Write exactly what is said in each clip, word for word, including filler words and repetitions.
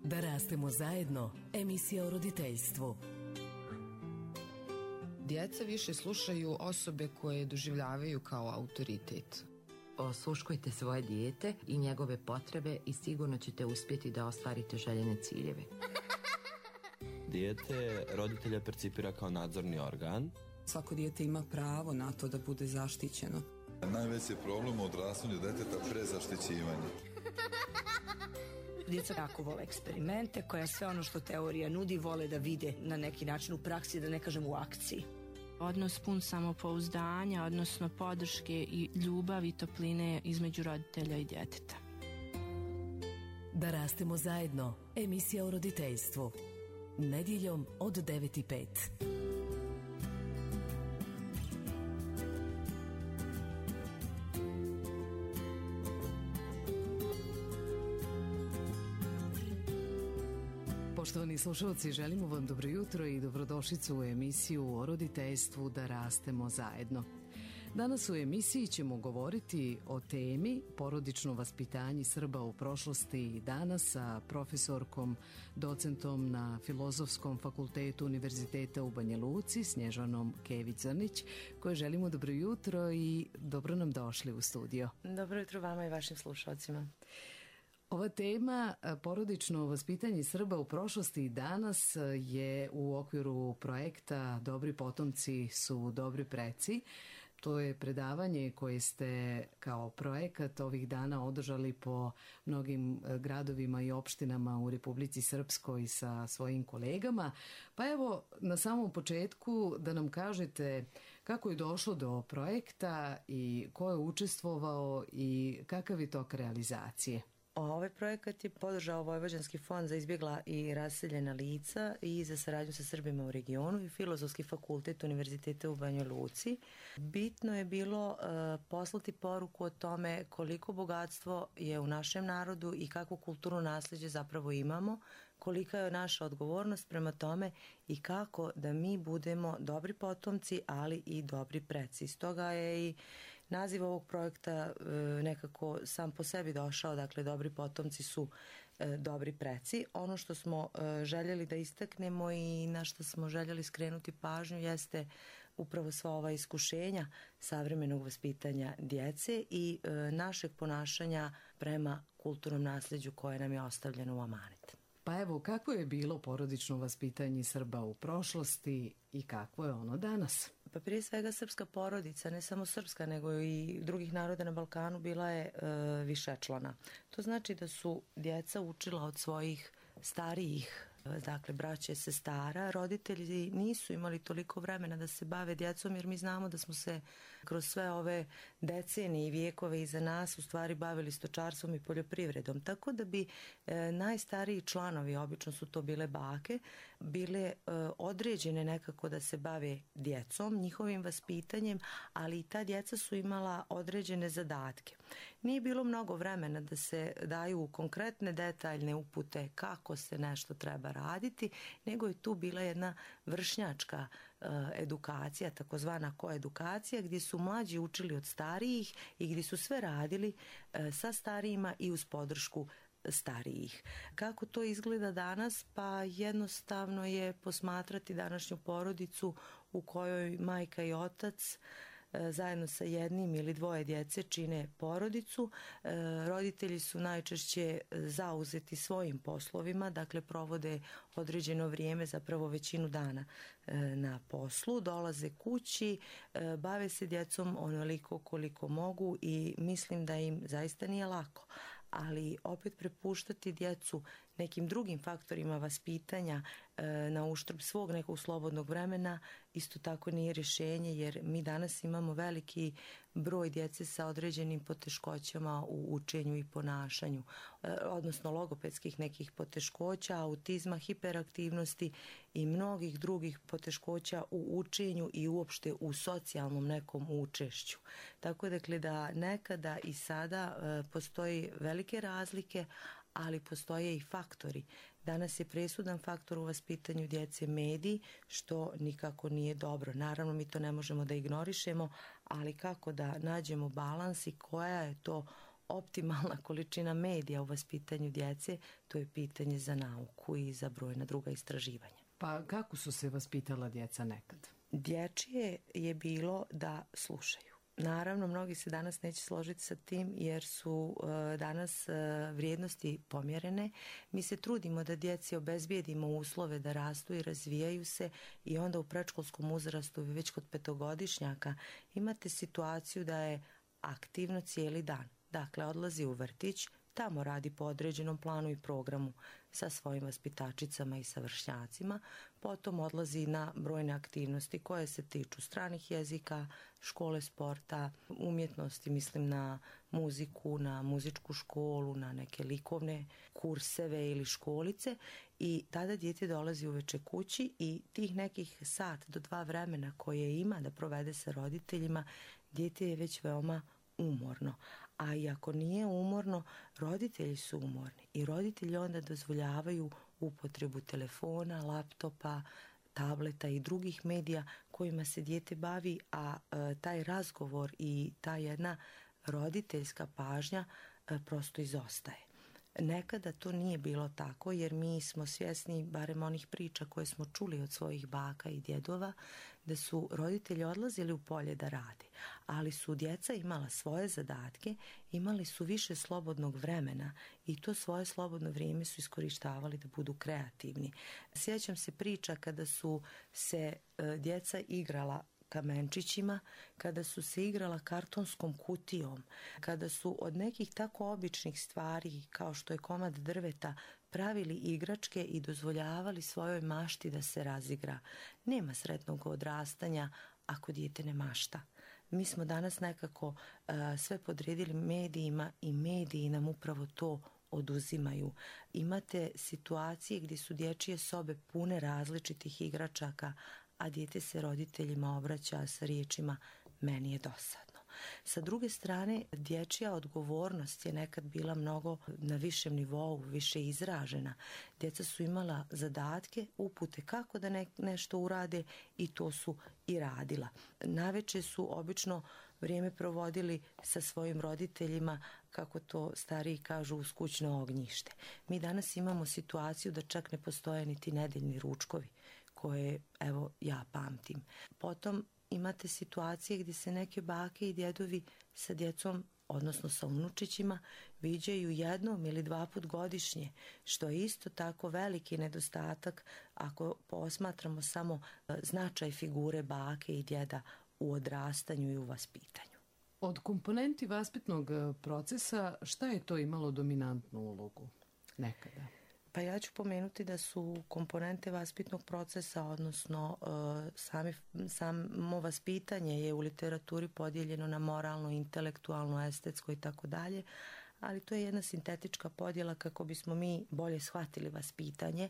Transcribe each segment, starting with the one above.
Da rastemo zajedno, emisija o roditeljstvu. Djeca više slušaju osobe koje doživljavaju kao autoritet. Osluškujte svoje dijete i njegove potrebe i sigurno ćete uspjeti da ostvarite željene ciljeve. Dijete roditelja percipira kao nadzorni organ. Svako dijete ima pravo na to da bude zaštićeno. Najveći problem u odrastanju djeteta prezaštićivanje. Djeca jako vole eksperimente, koja sve ono što teorija nudi vole da vide na neki način u praksi, da ne kažem u akciji. Odnos pun samopouzdanja, odnosno podrške i ljubavi i topline između roditelja i djeteta. Da rastemo zajedno, emisija o roditeljstvu. Nedjeljom od devet i pet. Poštovani slušalci, želimo vam dobro jutro i dobrodošlicu u emisiju o roditeljstvu Da rastemo zajedno. Danas u emisiji ćemo govoriti o temi porodično vaspitanje Srba u prošlosti i danas sa profesorkom, docentom na Filozofskom fakultetu Univerziteta u Banja Luci, Snježanom Kević-Zrnić, koje želimo dobro jutro i dobro nam došli u studio. Dobro jutro vama i vašim slušalcima. Ova tema, porodično vaspitanje Srba u prošlosti i danas, je u okviru projekta Dobri potomci su dobri preci. To je predavanje koje ste kao projekat ovih dana održali po mnogim gradovima i opštinama u Republici Srpskoj sa svojim kolegama. Pa evo, na samom početku da nam kažete kako je došlo do projekta i ko je učestvovao i kakav je tok realizacije. Ovaj projekat je podržao Vojvođanski fond za izbjegla i raseljena lica i za saradnju sa Srbima u regionu i Filozofski fakultet Univerziteta u Banjoj Luci. Bitno je bilo uh, poslati poruku o tome koliko bogatstvo je u našem narodu i kakvu kulturnu nasljeđe zapravo imamo, kolika je naša odgovornost prema tome i kako da mi budemo dobri potomci, ali i dobri preci. Stoga je i naziv ovog projekta e, nekako sam po sebi došao, dakle dobri potomci su e, dobri preci. Ono što smo e, željeli da istaknemo i na što smo željeli skrenuti pažnju jeste upravo sva ova iskušenja savremenog vaspitanja djece i e, našeg ponašanja prema kulturnom nasljeđu koje nam je ostavljeno u amanet. Pa evo, kako je bilo porodično vaspitanje Srba u prošlosti i kakvo je ono danas? Pa prije svega srpska porodica, ne samo srpska nego i drugih naroda na Balkanu, bila je e, višečlana. To znači da su djeca učila od svojih starijih, dakle braće, sestara. Roditelji nisu imali toliko vremena da se bave djecom, jer mi znamo da smo se kroz sve ove decenije i vijekove iza nas u stvari bavili stočarstvom i poljoprivredom. Tako da bi e, najstariji članovi, obično su to bile bake, bile e, određene nekako da se bave djecom, njihovim vaspitanjem, ali i ta djeca su imala određene zadatke. Nije bilo mnogo vremena da se daju konkretne detaljne upute kako se nešto treba raditi, nego je tu bila jedna vršnjačka e, edukacija, takozvana koedukacija, gdje su mlađi učili od starijih i gdje su sve radili e, sa starijima i uz podršku starijih. Kako to izgleda danas? Pa jednostavno je posmatrati današnju porodicu u kojoj majka i otac zajedno sa jednim ili dvoje djece čine porodicu. Roditelji su najčešće zauzeti svojim poslovima, dakle provode određeno vrijeme, zapravo većinu dana na poslu, dolaze kući, bave se djecom onoliko koliko mogu i mislim da im zaista nije lako. Ali opet prepuštati djecu nekim drugim faktorima vaspitanja e, na uštrb svog nekog slobodnog vremena isto tako nije rješenje, jer mi danas imamo veliki broj djece sa određenim poteškoćama u učenju i ponašanju, e, odnosno logopedskih nekih poteškoća, autizma, hiperaktivnosti i mnogih drugih poteškoća u učenju i uopšte u socijalnom nekom učešću. Tako dakle da nekada i sada e, postoji velike razlike, ali postoje i faktori. Danas je presudan faktor u vaspitanju djece mediji, što nikako nije dobro. Naravno, mi to ne možemo da ignorišemo, ali kako da nađemo balans i koja je to optimalna količina medija u vaspitanju djece, to je pitanje za nauku i za brojna druga istraživanja. Pa kako su se vaspitala djeca nekad? Dječje je bilo da slušaju. Naravno, mnogi se danas neće složiti sa tim jer su uh, danas uh, vrijednosti pomjerene. Mi se trudimo da djeci obezbijedimo uslove da rastu i razvijaju se i onda u predškolskom uzrastu, već kod petogodišnjaka, imate situaciju da je aktivno cijeli dan. Dakle, odlazi u vrtić, tamo radi po određenom planu i programu sa svojim vaspitačicama i sa vršnjacima, potom odlazi na brojne aktivnosti koje se tiču stranih jezika, škole sporta, umjetnosti, mislim na muziku, na muzičku školu, na neke likovne kurseve ili školice i tada dijete dolazi uveče kući i tih nekih sat do dva vremena koje ima da provede sa roditeljima, dijete je već veoma umorno. A i ako nije umorno, roditelji su umorni i roditelji onda dozvoljavaju upotrebu telefona, laptopa, tableta i drugih medija kojima se dijete bavi, a e, taj razgovor i ta jedna roditeljska pažnja e, prosto izostaje. Nekada to nije bilo tako jer mi smo svjesni, barem onih priča koje smo čuli od svojih baka i djedova, da su roditelji odlazili u polje da rade, ali su djeca imala svoje zadatke, imali su više slobodnog vremena i to svoje slobodno vrijeme su iskorištavali da budu kreativni. Sjećam se priča kada su se e, djeca igrala kamenčićima, kada su se igrala kartonskom kutijom, kada su od nekih tako običnih stvari kao što je komad drveta pravili igračke i dozvoljavali svojoj mašti da se razigra. Nema sretnog odrastanja ako dijete ne mašta. Mi smo danas nekako uh, sve podredili medijima i mediji nam upravo to oduzimaju. Imate situacije gdje su dječje sobe pune različitih igračaka, a dijete se roditeljima obraća sa riječima meni je dosadno. Sa druge strane, dječja odgovornost je nekad bila mnogo na višem nivou, više izražena. Djeca su imala zadatke, upute kako da ne, nešto urade i to su i radila. Naveče su obično vrijeme provodili sa svojim roditeljima, kako to stariji kažu, uz kućno ognjište. Mi danas imamo situaciju da čak ne postoje niti nedeljni ručkovi, koje, evo, ja pamtim. Potom imate situacije gdje se neke bake i djedovi sa djecom, odnosno sa unučićima, viđaju jednom ili dva put godišnje, što je isto tako veliki nedostatak ako posmatramo samo značaj figure bake i djeda u odrastanju i u vaspitanju. Od komponenti vaspitnog procesa šta je to imalo dominantnu ulogu nekada? Pa ja ću pomenuti da su komponente vaspitnog procesa, odnosno uh, sami, samo vaspitanje je u literaturi podijeljeno na moralno, intelektualno, estetsko i tako dalje, ali to je jedna sintetička podjela kako bismo mi bolje shvatili vaspitanje.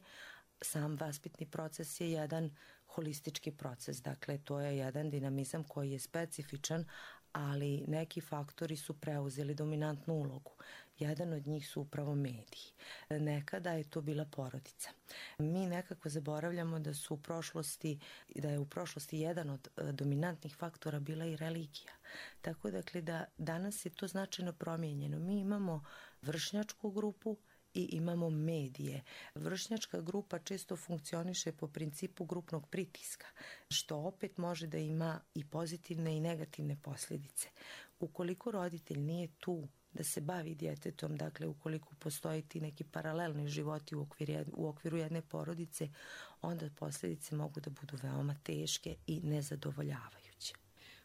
Sam vaspitni proces je jedan holistički proces, dakle to je jedan dinamizam koji je specifičan, ali neki faktori su preuzeli dominantnu ulogu. Jedan od njih su upravo mediji. Nekada je to bila porodica. Mi nekako zaboravljamo da su u prošlosti, da je u prošlosti jedan od dominantnih faktora bila i religija. Tako dakle da danas je to značajno promijenjeno. Mi imamo vršnjačku grupu i imamo medije. Vršnjačka grupa često funkcioniše po principu grupnog pritiska, što opet može da ima i pozitivne i negativne posljedice. Ukoliko roditelj nije tu da se bavi djetetom, dakle ukoliko postoji ti neki paralelni životi u okviru, u okviru jedne porodice, onda posljedice mogu da budu veoma teške i nezadovoljavajuće.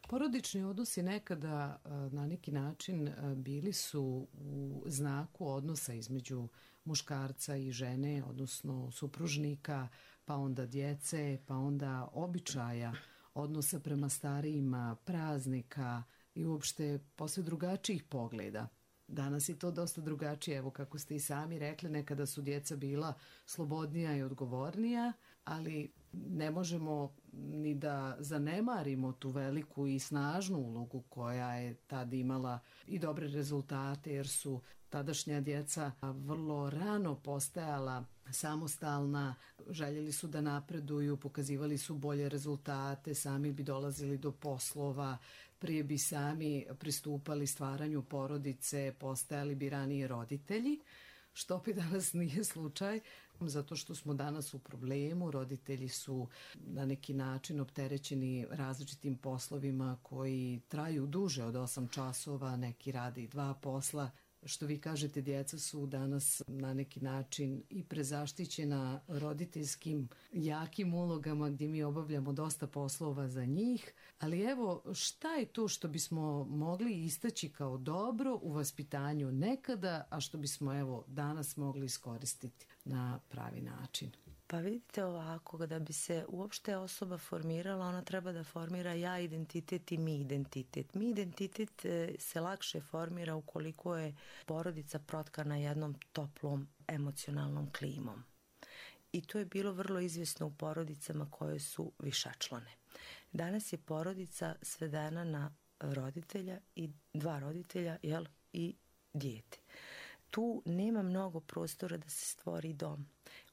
Porodični odnosi nekada na neki način bili su u znaku odnosa između muškarca i žene, odnosno supružnika, pa onda djece, pa onda običaja, odnosa prema starijima, praznika i uopšte posve drugačijih pogleda. Danas je to dosta drugačije, evo kako ste i sami rekli, nekada su djeca bila slobodnija i odgovornija, ali ne možemo ni da zanemarimo tu veliku i snažnu ulogu koja je tad imala i dobre rezultate, jer su tadašnja djeca vrlo rano postajala samostalna, željeli su da napreduju, pokazivali su bolje rezultate, sami bi dolazili do poslova, prije bi sami pristupali stvaranju porodice, postajali bi ranije roditelji, što opet danas nije slučaj, zato što smo danas u problemu, roditelji su na neki način opterećeni različitim poslovima koji traju duže od osam časova, neki rade i dva posla. Što vi kažete, djeca su danas na neki način i prezaštićena roditeljskim jakim ulogama gdje mi obavljamo dosta poslova za njih, ali evo šta je to što bismo mogli istaći kao dobro u vaspitanju nekada, a što bismo evo danas mogli iskoristiti na pravi način? Pa vidite ovako, da bi se uopšte osoba formirala, ona treba da formira ja identitet i mi identitet. Mi identitet se lakše formira ukoliko je porodica protkana jednom toplom emocionalnom klimom. I to je bilo vrlo izvjesno u porodicama koje su višečlane. Danas je porodica svedena na roditelja i dva roditelja, jel, i dijete. Tu nema mnogo prostora da se stvori dom.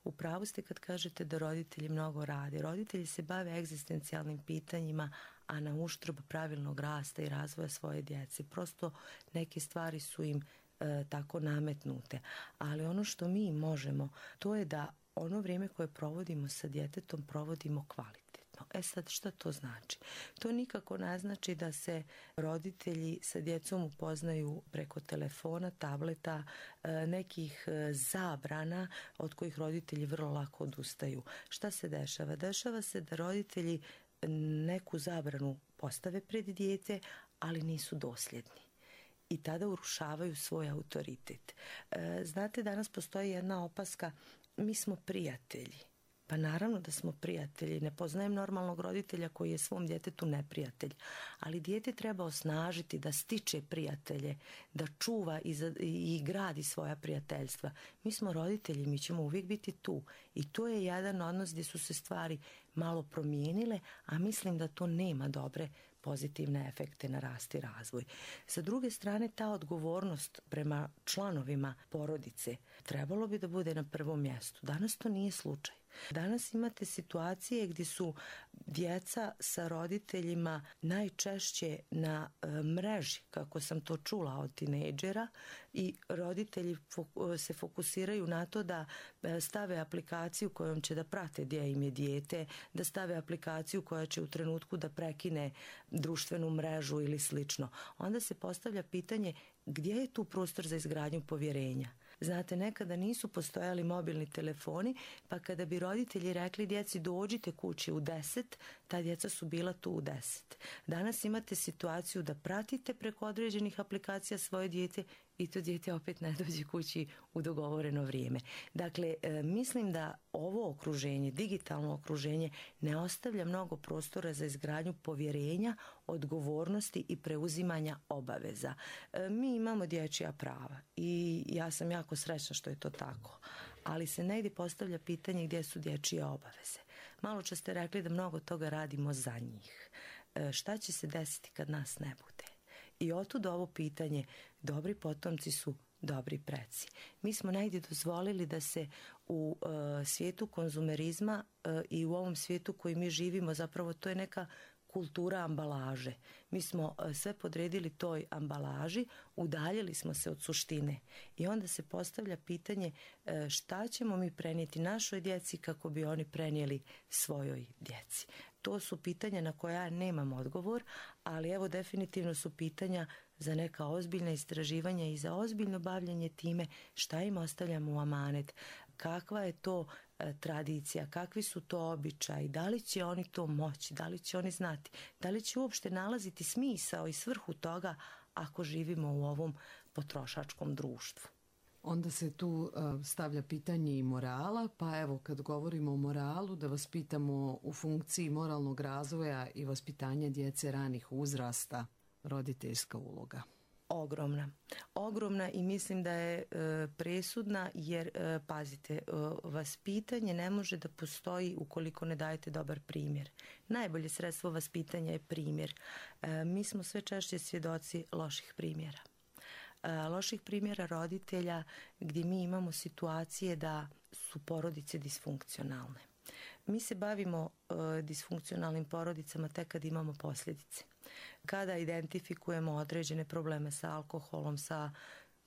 U pravu ste kad kažete da roditelji mnogo rade. Roditelji se bave egzistencijalnim pitanjima, a na uštrb pravilnog rasta i razvoja svoje djece. Prosto neke stvari su im e, tako nametnute. Ali ono što mi možemo, to je da ono vrijeme koje provodimo sa djetetom provodimo kvalitetno. E sad, šta to znači? To nikako ne znači da se roditelji sa djecom upoznaju preko telefona, tableta, nekih zabrana od kojih roditelji vrlo lako odustaju. Šta se dešava? Dešava se da roditelji neku zabranu postave pred dijete, ali nisu dosljedni. I tada urušavaju svoj autoritet. Znate, danas postoji jedna opaska, mi smo prijatelji. Pa naravno da smo prijatelji, ne poznajem normalnog roditelja koji je svom djetetu neprijatelj, ali dijete treba osnažiti da stiče prijatelje, da čuva i, za, i gradi svoja prijateljstva. Mi smo roditelji, mi ćemo uvijek biti tu i to je jedan odnos gdje su se stvari malo promijenile, a mislim da to nema dobre pozitivne efekte na rast i razvoj. Sa druge strane, ta odgovornost prema članovima porodice trebalo bi da bude na prvom mjestu. Danas to nije slučaj. Danas imate situacije gdje su djeca sa roditeljima najčešće na e, mreži, kako sam to čula od tinejdžera, i roditelji fok- se fokusiraju na to da e, stave aplikaciju kojom će da prate gdje im je dijete, da stave aplikaciju koja će u trenutku da prekine društvenu mrežu ili slično. Onda se postavlja pitanje gdje je tu prostor za izgradnju povjerenja. Znate, nekada nisu postojali mobilni telefoni, pa kada bi roditelji rekli djeci dođite kući u deset, ta djeca su bila tu u deset. Danas imate situaciju da pratite preko određenih aplikacija svoje dijete i to dijete opet ne dođe kući u dogovoreno vrijeme. Dakle, e, mislim da ovo okruženje, digitalno okruženje, ne ostavlja mnogo prostora za izgradnju povjerenja, odgovornosti i preuzimanja obaveza. E, mi imamo dječja prava i ja sam jako srećna što je to tako, ali se negdje postavlja pitanje gdje su dječje obaveze. Malo čas ste rekli da mnogo toga radimo za njih. E, šta će se desiti kad nas ne bude? I otud ovo pitanje, dobri potomci su dobri preci. Mi smo negdje dozvolili da se u e, svijetu konzumerizma e, i u ovom svijetu koji mi živimo, zapravo to je neka kultura ambalaže. Mi smo e, sve podredili toj ambalaži, udaljili smo se od suštine i onda se postavlja pitanje e, šta ćemo mi prenijeti našoj djeci kako bi oni prenijeli svojoj djeci. To su pitanja na koja ja nemam odgovor, ali evo definitivno su pitanja za neka ozbiljna istraživanja i za ozbiljno bavljanje time šta im ostavljamo u amanet, kakva je to e, tradicija, kakvi su to običaji, da li će oni to moći, da li će oni znati, da li će uopšte nalaziti smisao i svrhu toga ako živimo u ovom potrošačkom društvu. Onda se tu uh, stavlja pitanje i morala, pa evo kad govorimo o moralu da vas pitamo u funkciji moralnog razvoja i vaspitanja djece ranih uzrasta, roditeljska uloga. Ogromna. Ogromna i mislim da je e, presudna jer, e, pazite, e, vaspitanje ne može da postoji ukoliko ne dajete dobar primjer. Najbolje sredstvo vaspitanja je primjer. E, mi smo sve češće svjedoci loših primjera. loših primjera roditelja gdje mi imamo situacije da su porodice disfunkcionalne. Mi se bavimo e, disfunkcionalnim porodicama tek kad imamo posljedice. Kada identifikujemo određene probleme sa alkoholom, sa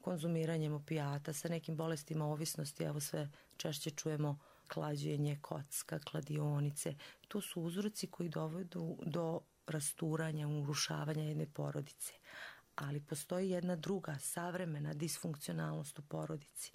konzumiranjem opijata, sa nekim bolestima ovisnosti, evo sve češće čujemo klađenje, kocka, kladionice. To su uzroci koji dovedu do rasturanja, urušavanja jedne porodice. Ali postoji jedna druga, savremena disfunkcionalnost u porodici.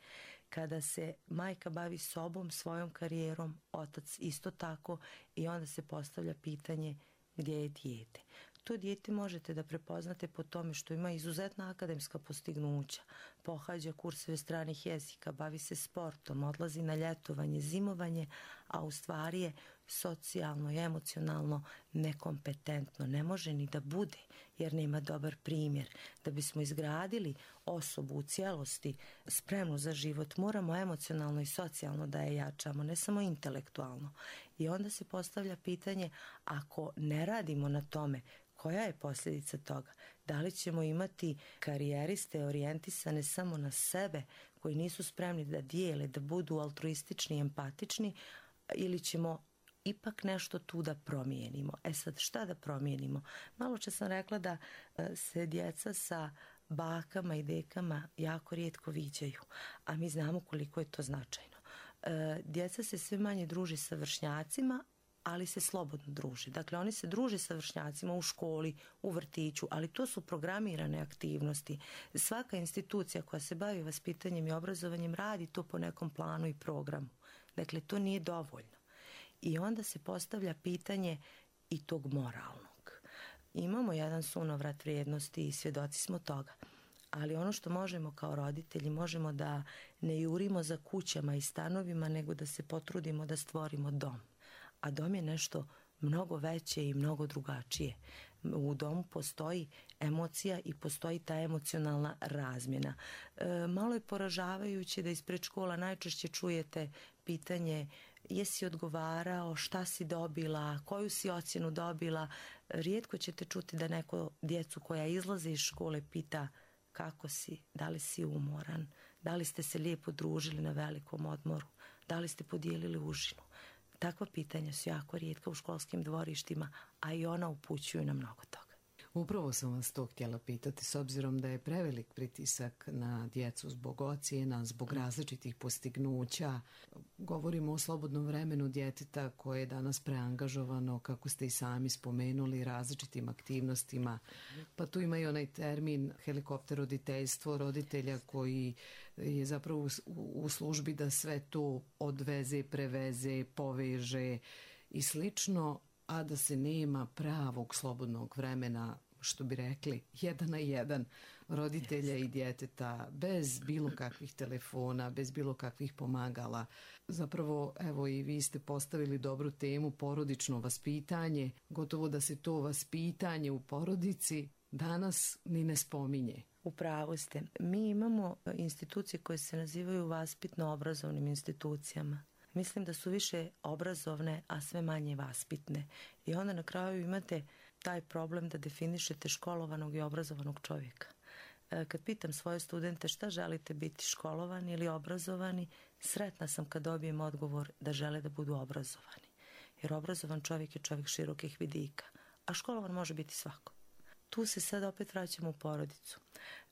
Kada se majka bavi sobom, svojom karijerom, otac isto tako, i onda se postavlja pitanje gdje je dijete. To dijete možete da prepoznate po tome što ima izuzetna akademska postignuća, pohađa kurseve stranih jezika, bavi se sportom, odlazi na ljetovanje, zimovanje, a u stvari je socijalno i emocionalno nekompetentno. Ne može ni da bude jer nema dobar primjer. Da bismo izgradili osobu u cijelosti spremnu za život, moramo emocionalno i socijalno da je jačamo, ne samo intelektualno. I onda se postavlja pitanje, ako ne radimo na tome, koja je posljedica toga? Da li ćemo imati karijeriste orijentisane samo na sebe, koji nisu spremni da dijele, da budu altruistični i empatični, ili ćemo ipak nešto tu da promijenimo? E sad, šta da promijenimo? Malo čas sam rekla da se djeca sa bakama i dekama jako rijetko viđaju, a mi znamo koliko je to značajno. Djeca se sve manje druži sa vršnjacima, ali se slobodno druži. Dakle, oni se druže sa vršnjacima u školi, u vrtiću, ali to su programirane aktivnosti. Svaka institucija koja se bavi vaspitanjem i obrazovanjem radi to po nekom planu i programu. Dakle, to nije dovoljno. I onda se postavlja pitanje i tog moralnog. Imamo jedan sunovrat vrijednosti i svjedoci smo toga. Ali ono što možemo kao roditelji, možemo da ne jurimo za kućama i stanovima, nego da se potrudimo da stvorimo dom. A dom je nešto mnogo veće i mnogo drugačije. U domu postoji emocija i postoji ta emocionalna razmjena. E, malo je poražavajuće da ispred škola najčešće čujete pitanje jesi odgovarao, šta si dobila, koju si ocjenu dobila. Rijetko ćete čuti da neko djecu koja izlaze iz škole pita kako si, da li si umoran, da li ste se lijepo družili na velikom odmoru, da li ste podijelili užinu. Takva pitanja su jako rijetka u školskim dvorištima, a i ona upućuju na mnogo toga. Upravo sam vas to htjela pitati, s obzirom da je prevelik pritisak na djecu zbog ocjena, zbog različitih postignuća. Govorimo o slobodnom vremenu djeteta koje je danas preangažovano, kako ste i sami spomenuli, različitim aktivnostima. Pa tu ima i onaj termin helikopter roditeljstvo, roditelja koji je zapravo u službi da sve to odveze, preveze, poveže i slično, a da se nema pravog slobodnog vremena, što bi rekli, jedan na jedan roditelja i djeteta, bez bilo kakvih telefona, bez bilo kakvih pomagala. Zapravo, evo i vi ste postavili dobru temu, porodično vaspitanje, gotovo da se to vaspitanje u porodici danas ni ne spominje. U pravu ste. Mi imamo institucije koje se nazivaju vaspitno-obrazovnim institucijama. Mislim da su više obrazovne, a sve manje vaspitne. I onda na kraju imate taj problem da definišete školovanog i obrazovanog čovjeka. Kad pitam svoje studente šta želite biti, školovani ili obrazovani, sretna sam kad dobijem odgovor da žele da budu obrazovani. Jer obrazovan čovjek je čovjek širokih vidika, a školovan može biti svako. Tu se sad opet vraćamo u porodicu.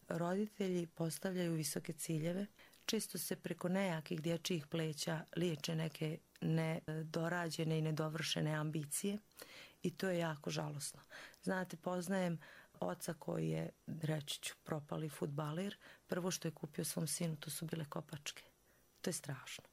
Roditelji postavljaju visoke ciljeve, često se preko nejakih dječjih pleća liječe neke nedorađene i nedovršene ambicije i to je jako žalosno. Znate, poznajem oca koji je, reći ću, propali fudbaler. Prvo što je kupio svom sinu, to su bile kopačke. To je strašno.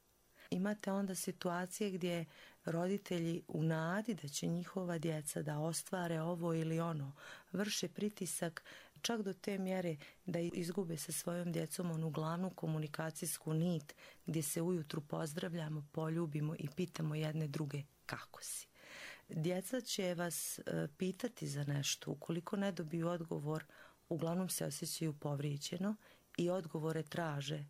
Imate onda situacije gdje roditelji u nadi da će njihova djeca da ostvare ovo ili ono, vrše pritisak čak do te mjere da izgube sa svojom djecom onu glavnu komunikacijsku nit gdje se ujutru pozdravljamo, poljubimo i pitamo jedne druge kako si. Djeca će vas pitati za nešto, ukoliko ne dobiju odgovor, uglavnom se osjećaju povrijeđeno i odgovore traže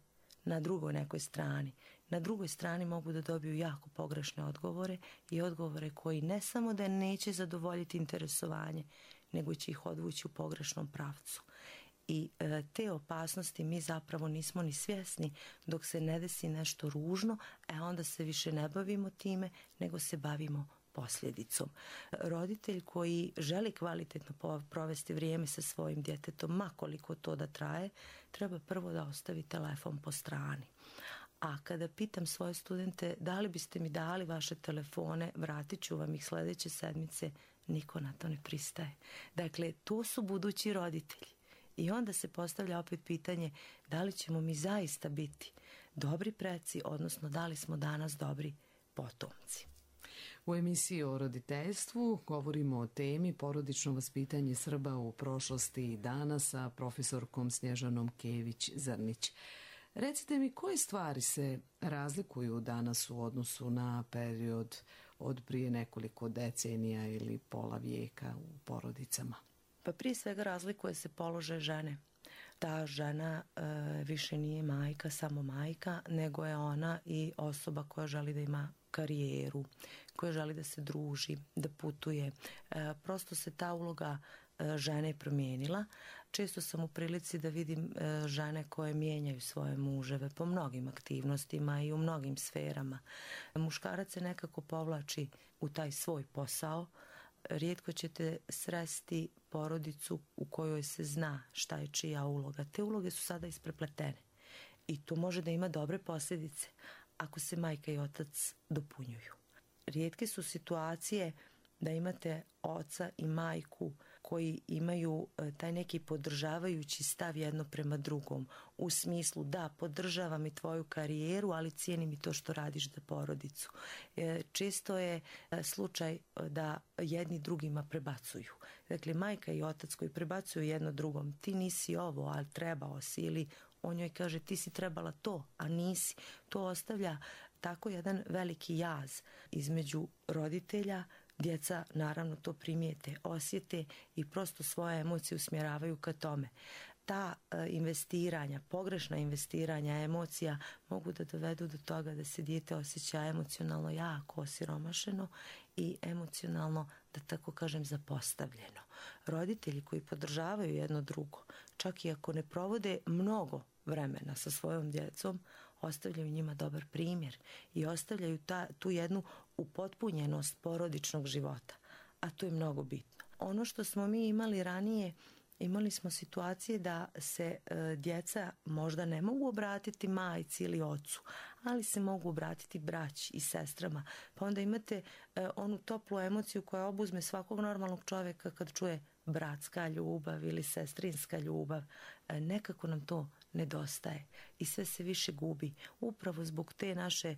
na drugoj nekoj strani. Na drugoj strani mogu da dobiju jako pogrešne odgovore i odgovore koji ne samo da neće zadovoljiti interesovanje, nego će ih odvući u pogrešnom pravcu. i e, te opasnosti mi zapravo nismo ni svjesni dok se ne desi nešto ružno, e onda se više ne bavimo time, nego se bavimo posljedicom. Roditelj koji želi kvalitetno provesti vrijeme sa svojim djetetom, ma koliko to da traje, treba prvo da ostavi telefon po strani. A kada pitam svoje studente da li biste mi dali vaše telefone, vratit ću vam ih sljedeće sedmice, niko na to ne pristaje. Dakle, to su budući roditelji. I onda se postavlja opet pitanje da li ćemo mi zaista biti dobri preci, odnosno da li smo danas dobri potomci. U emisiji o roditeljstvu govorimo o temi porodično vaspitanje Srba u prošlosti i danas sa profesorkom Snježanom Kević-Zrnić. Recite mi, koje stvari se razlikuju danas u odnosu na period od prije nekoliko decenija ili pola vijeka u porodicama? Pa prije svega razlikuje se položaj žene. Ta žena e, više nije majka, samo majka, nego je ona i osoba koja želi da ima karijeru, koja želi da se druži, da putuje. E, prosto se ta uloga e, žene promijenila. Često sam u prilici da vidim e, žene koje mijenjaju svoje muževe po mnogim aktivnostima i u mnogim sferama. Muškarac se nekako povlači u taj svoj posao. Rijetko ćete sresti porodicu u kojoj se zna šta je čija uloga. Te uloge su sada isprepletene i to može da ima dobre posljedice ako se majka i otac dopunjuju. Rijetke su situacije da imate oca i majku koji imaju taj neki podržavajući stav jedno prema drugom, u smislu da podržavam i tvoju karijeru, ali cijenim i to što radiš za porodicu. Često je slučaj da jedni drugima prebacuju. Dakle, majka i otac koji prebacuju jedno drugom, ti nisi ovo, ali trebao si, ili on njoj kaže ti si trebala to, a nisi. To ostavlja tako jedan veliki jaz između roditelja. Djeca naravno to primijete, osjete i prosto svoje emocije usmjeravaju ka tome. Ta e, investiranja, pogrešna investiranja emocija mogu da dovedu do toga da se dijete osjeća emocionalno jako osiromašeno i emocionalno, da tako kažem, zapostavljeno. Roditelji koji podržavaju jedno drugo, čak i ako ne provode mnogo vremena sa svojom djecom, ostavljaju njima dobar primjer i ostavljaju ta, tu jednu upotpunjenost porodičnog života, a to je mnogo bitno. Ono što smo mi imali ranije, imali smo situacije da se e, djeca možda ne mogu obratiti majci ili ocu, ali se mogu obratiti braći i sestrama. Pa onda imate e, onu toplu emociju koja obuzme svakog normalnog čovjeka kad čuje bratska ljubav ili sestrinska ljubav. E, nekako nam to nedostaje i sve se više gubi upravo zbog te naše e,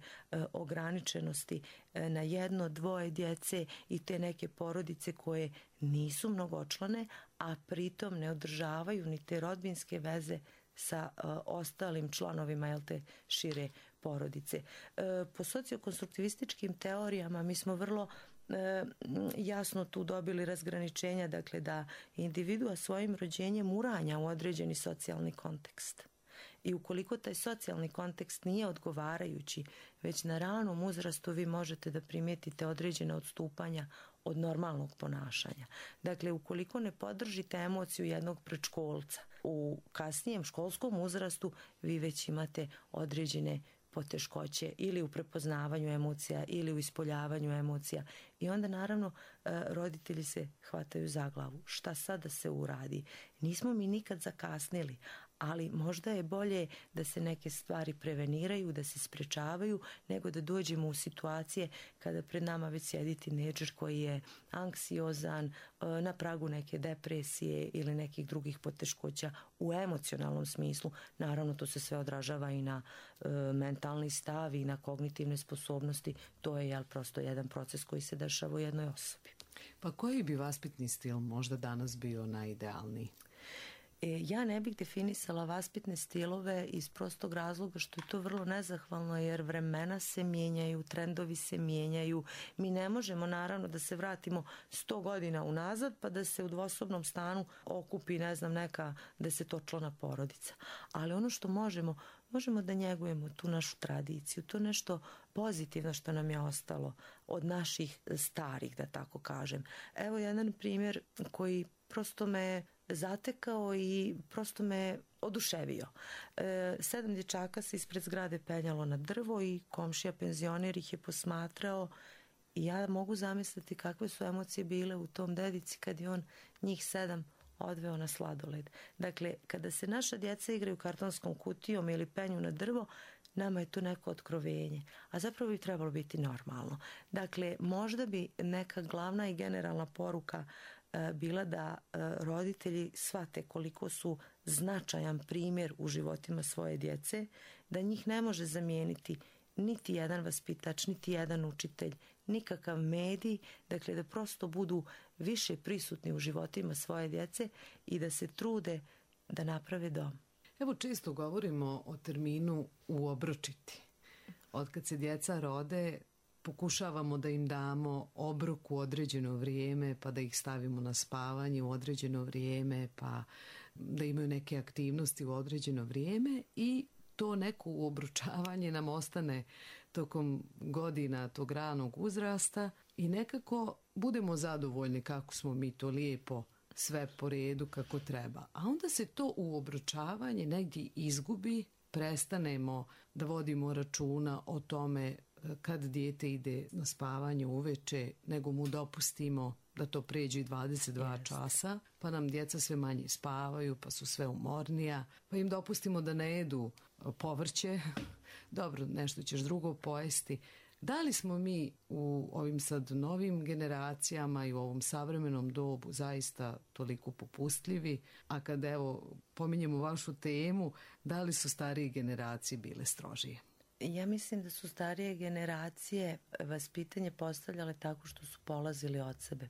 ograničenosti e, na jedno, dvoje djece i te neke porodice koje nisu mnogočlane, a pritom ne održavaju ni te rodbinske veze sa e, ostalim članovima, jel te, šire porodice. E, po sociokonstruktivističkim teorijama mi smo vrlo E, jasno tu dobili razgraničenja, dakle da individua svojim rođenjem uranja u određeni socijalni kontekst. I ukoliko taj socijalni kontekst nije odgovarajući, već na ranom uzrastu vi možete da primijetite određene odstupanja od normalnog ponašanja. Dakle, ukoliko ne podržite emociju jednog predškolca, u kasnijem školskom uzrastu vi već imate određene poteškoće ili u prepoznavanju emocija ili u ispoljavanju emocija. I onda naravno roditelji se hvataju za glavu. Šta sad da se uradi? Nismo mi nikad zakasnili, ali možda je bolje da se neke stvari preveniraju, da se sprečavaju, nego da dođemo u situacije kada pred nama već sjedi tinejdžer koji je anksiozan, na pragu neke depresije ili nekih drugih poteškoća u emocionalnom smislu. Naravno, to se sve odražava i na e, mentalni stav i na kognitivne sposobnosti. To je jel, prosto jedan proces koji se dešava u jednoj osobi. Pa koji bi vaspitni stil možda danas bio najidealniji? Ja ne bih definisala vaspitne stilove iz prostog razloga što je to vrlo nezahvalno, jer vremena se mijenjaju, trendovi se mijenjaju. Mi ne možemo naravno da se vratimo sto godina unazad pa da se u dvosobnom stanu okupi, ne znam, neka desetočlana porodica. Ali ono što možemo, možemo da njegujemo tu našu tradiciju, to nešto pozitivno što nam je ostalo od naših starih, da tako kažem. Evo jedan primjer koji prosto me zatekao i prosto me oduševio. E, sedam dječaka se ispred zgrade penjalo na drvo i komšija penzioner ih je posmatrao i ja mogu zamisliti kakve su emocije bile u tom dedici kad je on njih sedam odveo na sladoled. Dakle, kada se naša djeca igraju kartonskom kutijom ili penju na drvo, nama je to neko otkrovenje, a zapravo bi trebalo biti normalno. Dakle, možda bi neka glavna i generalna poruka e, bila da e, roditelji shvate koliko su značajan primjer u životima svoje djece, da njih ne može zamijeniti niti jedan vaspitač, niti jedan učitelj, nikakav medij, dakle da prosto budu više prisutni u životima svoje djece i da se trude da naprave dom. Evo, često govorimo o terminu uobročiti. Od kad se djeca rode, pokušavamo da im damo obrok u određeno vrijeme, pa da ih stavimo na spavanje u određeno vrijeme, pa da imaju neke aktivnosti u određeno vrijeme i to neko uobručavanje nam ostane tokom godina tog ranog uzrasta i nekako budemo zadovoljni kako smo mi to lijepo sve po redu kako treba. A onda se to uobručavanje negdje izgubi, prestanemo da vodimo računa o tome kad dijete ide na spavanje uveče, nego mu dopustimo da to pređe i dvadeset dva Jeste. časa, pa nam djeca sve manje spavaju, pa su sve umornija, pa im dopustimo da ne jedu povrće, dobro, nešto ćeš drugo pojesti. Da li smo mi u ovim sad novim generacijama i u ovom savremenom dobu zaista toliko popustljivi, a kad evo pominjemo vašu temu, da li su starije generacije bile strožije? Ja mislim da su starije generacije vaspitanje postavljale tako što su polazili od sebe.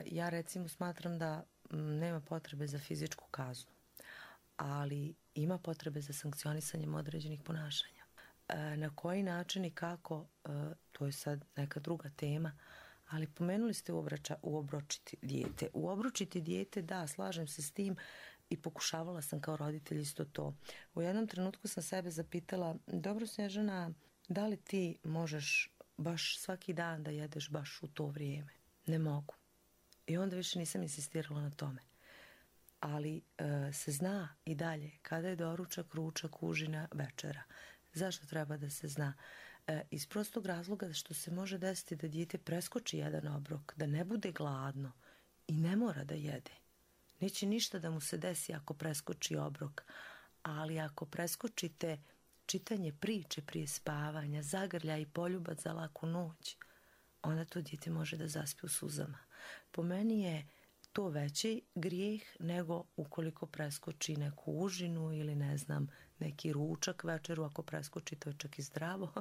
Ja recimo smatram da nema potrebe za fizičku kaznu, ali ima potrebe za sankcionisanjem određenih ponašanja. Na koji način i kako, to je sad neka druga tema, ali pomenuli ste uobrača, uobročiti dijete. Uobročiti dijete, da, slažem se s tim i pokušavala sam kao roditelj isto to. U jednom trenutku sam sebe zapitala, dobro Snježana, da li ti možeš baš svaki dan da jedeš baš u to vrijeme? Ne mogu. I onda više nisam insistirala na tome. Ali e, se zna i dalje kada je doručak, ručak, užina, večera. Zašto treba da se zna? E, iz prostog razloga što se može desiti da dijete preskoči jedan obrok, da ne bude gladno i ne mora da jede. Neće ništa da mu se desi ako preskoči obrok, ali ako preskočite čitanje priče prije spavanja, zagrlja i poljubac za laku noć, onda to dijete može da zaspi u suzama. Po meni je to veći grijeh nego ukoliko preskoči neku užinu ili ne znam, neki ručak večeru, ako preskoči to je čak i zdravo.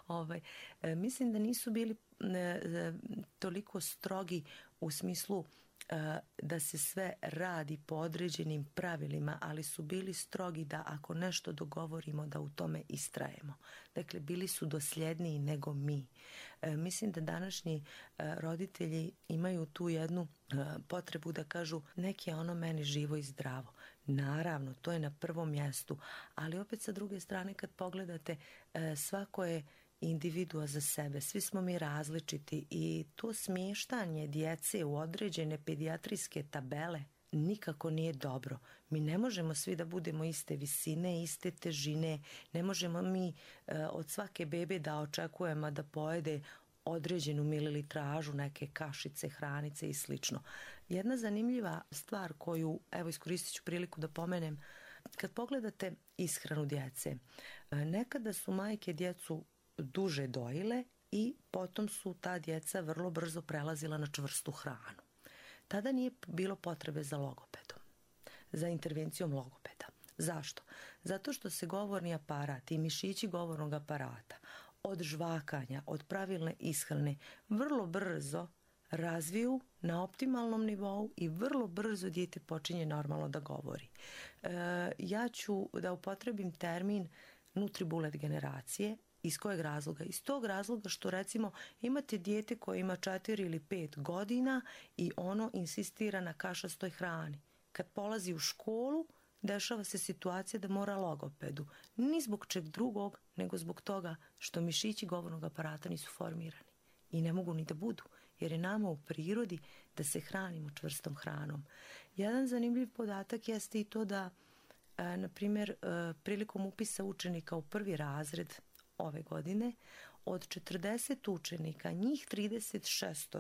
ovaj, e, mislim da nisu bili e, toliko strogi u smislu e, da se sve radi po određenim pravilima, ali su bili strogi da ako nešto dogovorimo da u tome istrajemo. Dakle, bili su dosljedniji nego mi. E, mislim da današnji e, roditelji imaju tu jednu e, potrebu da kažu neki je ono meni živo i zdravo. Naravno, to je na prvom mjestu, ali opet sa druge strane kad pogledate e, svako je individua za sebe, svi smo mi različiti i to smještanje djece u određene pedijatrijske tabele nikako nije dobro. Mi ne možemo svi da budemo iste visine, iste težine, ne možemo mi e, od svake bebe da očekujemo da pojede određenu mililitražu, neke kašice, hranice i slično. Jedna zanimljiva stvar koju, evo iskoristit ću priliku da pomenem, kad pogledate ishranu djece, nekada su majke djecu duže dojile i potom su ta djeca vrlo brzo prelazila na čvrstu hranu. Tada nije bilo potrebe za logopedom, za intervencijom logopeda. Zašto? Zato što se govorni aparat i mišići govornog aparata od žvakanja, od pravilne ishrane vrlo brzo razviju na optimalnom nivou i vrlo brzo dijete počinje normalno da govori. E, ja ću da upotrebim termin nutribulet generacije. Iz kojeg razloga? Iz tog razloga što recimo imate dijete koje ima četiri ili pet godina i ono insistira na kašastoj hrani. Kad polazi u školu, dešava se situacija da mora logopedu. Ni zbog čeg drugog, nego zbog toga što mišići govornog aparata nisu formirani. I ne mogu ni da budu, jer je nama u prirodi da se hranimo čvrstom hranom. Jedan zanimljiv podatak jeste i to da, e, na primjer, e, prilikom upisa učenika u prvi razred ove godine, od četrdeset učenika, njih trideset šest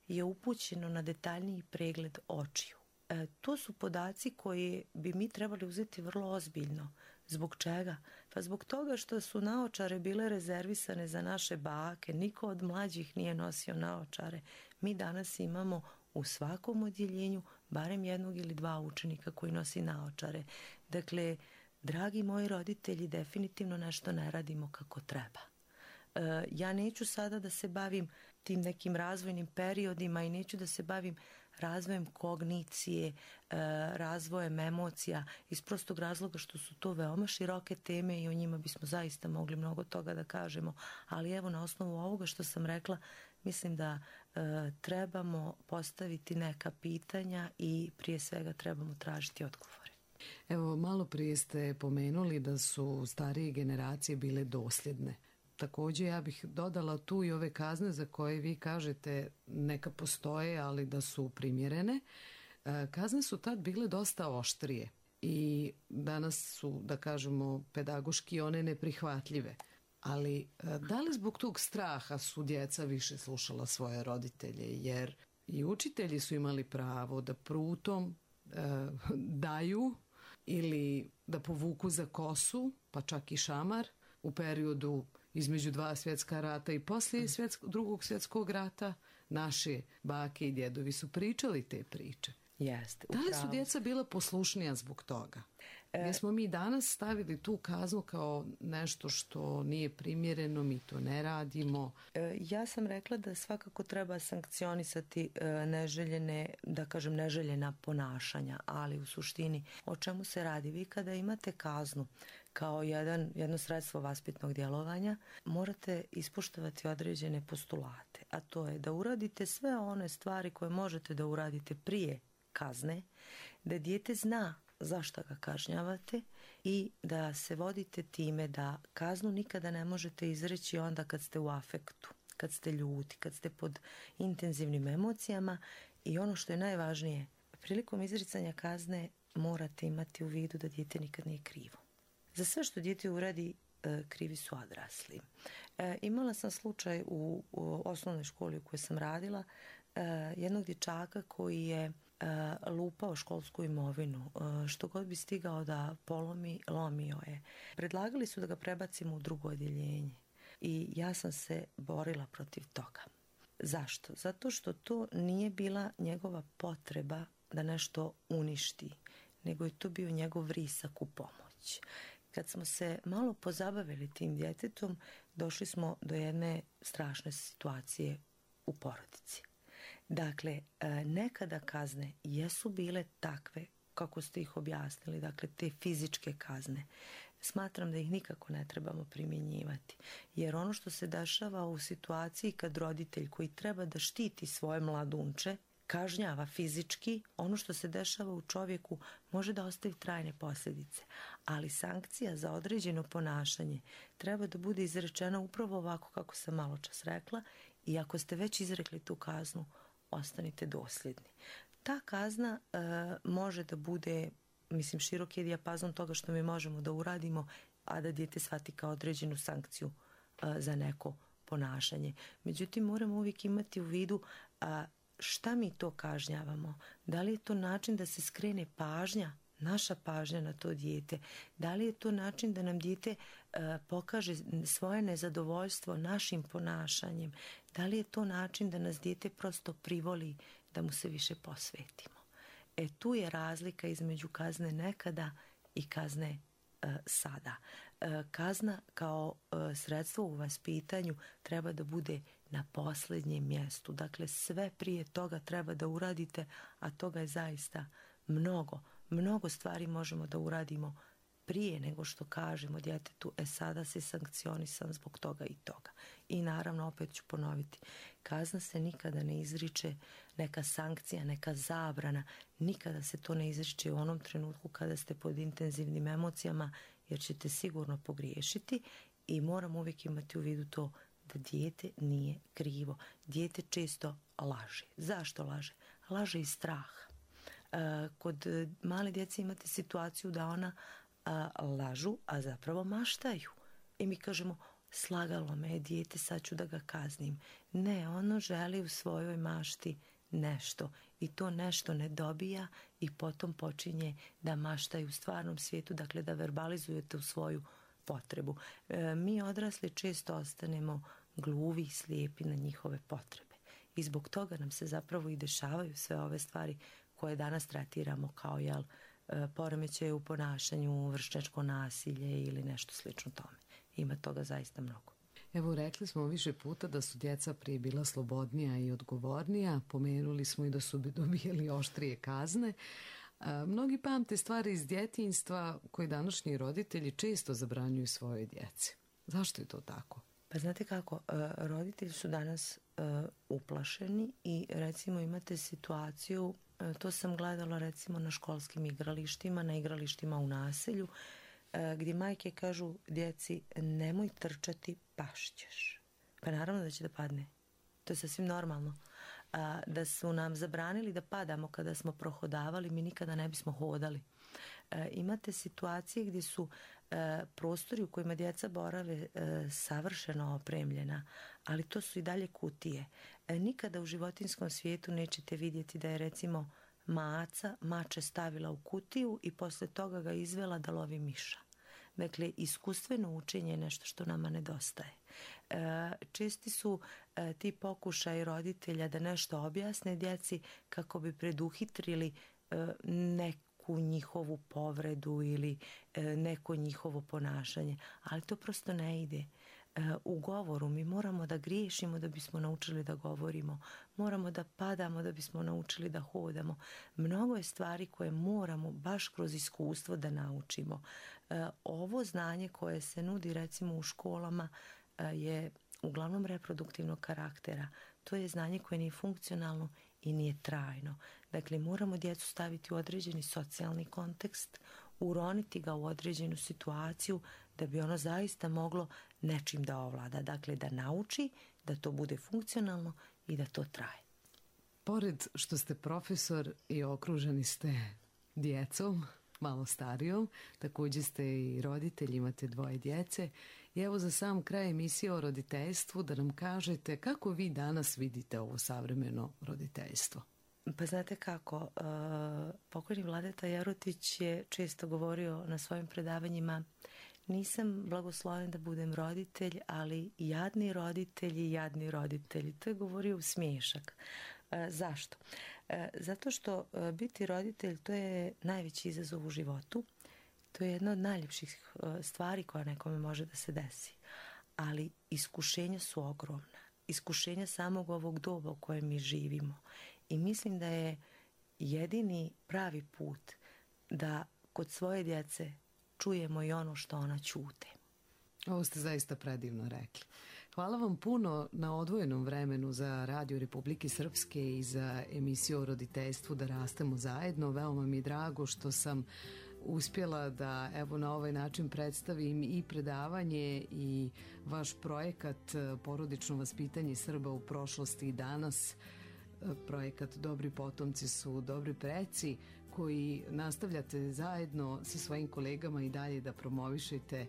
je upućeno na detaljniji pregled očiju. E, to su podaci koje bi mi trebali uzeti vrlo ozbiljno. Zbog čega? Pa zbog toga što su naočare bile rezervisane za naše bake, niko od mlađih nije nosio naočare. Mi danas imamo u svakom odjeljenju barem jednog ili dva učenika koji nosi naočare. Dakle, dragi moji roditelji, definitivno nešto ne radimo kako treba. E, ja neću sada da se bavim tim nekim razvojnim periodima i neću da se bavim razvojem kognicije, e, razvojem emocija, iz prostog razloga što su to veoma široke teme i o njima bismo zaista mogli mnogo toga da kažemo, ali evo na osnovu ovoga što sam rekla, mislim da e, trebamo postaviti neka pitanja i prije svega trebamo tražiti odgovore. Evo, malo prije ste pomenuli da su starije generacije bile dosljedne. Također ja bih dodala tu i ove kazne za koje vi kažete neka postoje, ali da su primjerene. Kazne su tad bile dosta oštrije i danas su, da kažemo, pedagoški one neprihvatljive. Ali da li zbog tog straha su djeca više slušala svoje roditelje? Jer i učitelji su imali pravo da prutom e, daju ili da povuku za kosu, pa čak i šamar u periodu između dva svjetska rata i poslije svjetsko, drugog svjetskog rata. Naše bake i djedovi su pričali te priče. Jeste, da li su djeca bila poslušnija zbog toga? Gdje smo mi danas stavili tu kaznu kao nešto što nije primjereno, mi to ne radimo. Ja sam rekla da svakako treba sankcionisati neželjene, da kažem neželjena ponašanja, ali u suštini o čemu se radi? Vi kada imate kaznu kao jedan, jedno sredstvo vaspitnog djelovanja, morate ispoštovati određene postulate, a to je da uradite sve one stvari koje možete da uradite prije kazne, da dijete zna zašto ga kažnjavate i da se vodite time da kaznu nikada ne možete izreći onda kad ste u afektu, kad ste ljuti, kad ste pod intenzivnim emocijama i ono što je najvažnije, prilikom izricanja kazne morate imati u vidu da dijete nikad nije krivo. Za sve što dijete uradi, krivi su odrasli. E, imala sam slučaj u, u osnovnoj školi u kojoj sam radila, e, jednog dječaka koji je lupao školsku imovinu, što god bi stigao da polomi, lomio je. Predlagali su da ga prebacimo u drugo odjeljenje i ja sam se borila protiv toga. Zašto? Zato što to nije bila njegova potreba da nešto uništi, nego je to bio njegov vrisak u pomoć. Kad smo se malo pozabavili tim djetetom, došli smo do jedne strašne situacije u porodici. Dakle, nekada kazne jesu bile takve kako ste ih objasnili, dakle te fizičke kazne. Smatram da ih nikako ne trebamo primjenjivati, jer ono što se dešava u situaciji kad roditelj koji treba da štiti svoje mladunče kažnjava fizički, ono što se dešava u čovjeku može da ostavi trajne posljedice, ali sankcija za određeno ponašanje treba da bude izrečena upravo ovako kako sam malo čas rekla i ako ste već izrekli tu kaznu, ostanite dosljedni. Ta kazna e, može da bude, mislim, širok je dijapazon toga što mi možemo da uradimo, a da dijete shvati kao određenu sankciju e, za neko ponašanje. Međutim, moramo uvijek imati u vidu a, šta mi to kažnjavamo. Da li je to način da se skrene pažnja, naša pažnja na to dijete? Da li je to način da nam dijete e, pokaže svoje nezadovoljstvo našim ponašanjem? Da li je to način da nas dijete prosto privoli da mu se više posvetimo? E tu je razlika između kazne nekada i kazne e, sada. E, kazna kao e, sredstvo u vaspitanju treba da bude na posljednjem mjestu. Dakle, sve prije toga treba da uradite, a toga je zaista mnogo. Mnogo stvari možemo da uradimo prije nego što kažemo djetetu, e sada si sankcionisan zbog toga i toga. I naravno, opet ću ponoviti, kazna se nikada ne izriče, neka sankcija, neka zabrana, nikada se to ne izriče u onom trenutku kada ste pod intenzivnim emocijama, jer ćete sigurno pogriješiti i moram uvijek imati u vidu to da dijete nije krivo. Dijete često laže. Zašto laže? Laže iz straha. Kod male djece imate situaciju da ona lažu, a zapravo maštaju. I mi kažemo, slagalo me je dijete, sad ću da ga kaznim. Ne, ono želi u svojoj mašti nešto i to nešto ne dobija i potom počinje da maštaju u stvarnom svijetu, dakle da verbalizujete u svoju potrebu. E, mi odrasli često ostanemo gluvi i slijepi na njihove potrebe i zbog toga nam se zapravo i dešavaju sve ove stvari koje danas tretiramo kao jel, poremećaje u ponašanju, vršnjačko nasilje ili nešto slično tome. Ima toga zaista mnogo. Evo, rekli smo više puta da su djeca prije bila slobodnija i odgovornija, pomenuli smo i da su dobijali oštrije kazne. A, mnogi pamte stvari iz djetinjstva koje današnji roditelji često zabranjuju svojoj djeci. Zašto je to tako? Pa znate kako, roditelji su danas uplašeni i recimo imate situaciju, to sam gledala recimo na školskim igralištima, na igralištima u naselju, gdje majke kažu djeci nemoj trčati, pašćeš. Pa naravno da će da padne. To je sasvim normalno. A, da su nam zabranili da padamo kada smo prohodavali, mi nikada ne bismo hodali. E, imate situacije gdje su e, prostori u kojima djeca borave e, savršeno opremljena, ali to su i dalje kutije. E, nikada u životinjskom svijetu nećete vidjeti da je recimo maca mače stavila u kutiju i posle toga ga izvela da lovi miša. Dakle, iskustveno učenje je nešto što nama nedostaje. E, česti su e, ti pokušaj roditelja da nešto objasne djeci kako bi preduhitrili e, neku njihovu povredu ili e, neko njihovo ponašanje, ali to prosto ne ide. U govoru mi moramo da griješimo da bismo naučili da govorimo, moramo da padamo da bismo naučili da hodamo. Mnogo je stvari koje moramo baš kroz iskustvo da naučimo. Ovo znanje koje se nudi recimo u školama je uglavnom reproduktivnog karaktera. To je znanje koje nije funkcionalno i nije trajno. Dakle, moramo djecu staviti u određeni socijalni kontekst, uroniti ga u određenu situaciju da bi ono zaista moglo nečim da ovlada. Dakle, da nauči, da to bude funkcionalno i da to traje. Pored što ste profesor i okruženi ste djecom, malo starijom, također ste i roditelj, imate dvoje djece. I evo za sam kraj emisije o roditeljstvu da nam kažete kako vi danas vidite ovo savremeno roditeljstvo. Pa znate kako, uh, pokojni Vladeta Jerotić je često govorio na svojim predavanjima: nisam blagosloven da budem roditelj, ali jadni roditelji, jadni roditelji. To je govorio u smiješak. Uh, zašto? Uh, zato što uh, biti roditelj to je najveći izazov u životu. To je jedna od najljepših uh, stvari koja nekome može da se desi. Ali iskušenja su ogromna. Iskušenja samog ovog doba u kojem mi živimo. I mislim da je jedini pravi put da kod svoje djece čujemo i ono što ona ćute. Ovo ste zaista predivno rekli. Hvala vam puno na odvojenom vremenu za Radio Republike Srpske i za emisiju o roditeljstvu Da rastemo zajedno. Veoma mi je drago što sam uspjela da evo na ovaj način predstavim i predavanje i vaš projekat Porodično vaspitanje Srba u prošlosti i danas. Projekat Dobri potomci su dobri preci, koji nastavljate zajedno sa svojim kolegama i dalje da promovišete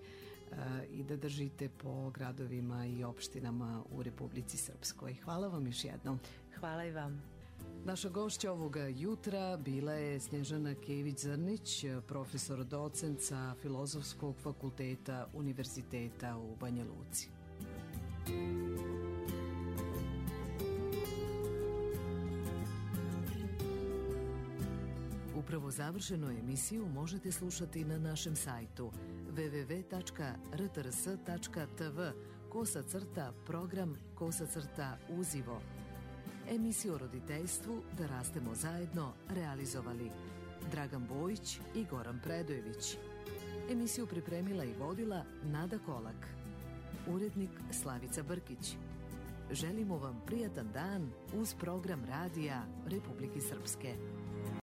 uh, i da držite po gradovima i opštinama u Republici Srpskoj. Hvala vam još jednom. Hvala i vam. Naša gošća ovoga jutra bila je Snježana Kević-Zrnić, profesor docent sa Filozofskog fakulteta Univerziteta u Banja Luci. Upravo završenu emisiju možete slušati na našem sajtu w w w tačka r t r s tačka t v kosa crta program kosa crta uzivo. Emisiju o roditeljstvu Da rastemo zajedno realizovali Dragan Bojić i Goran Predojević. Emisiju pripremila i vodila Nada Kolak. Urednik Slavica Brkić. Želimo vam prijatan dan uz program Radija Republike Srpske.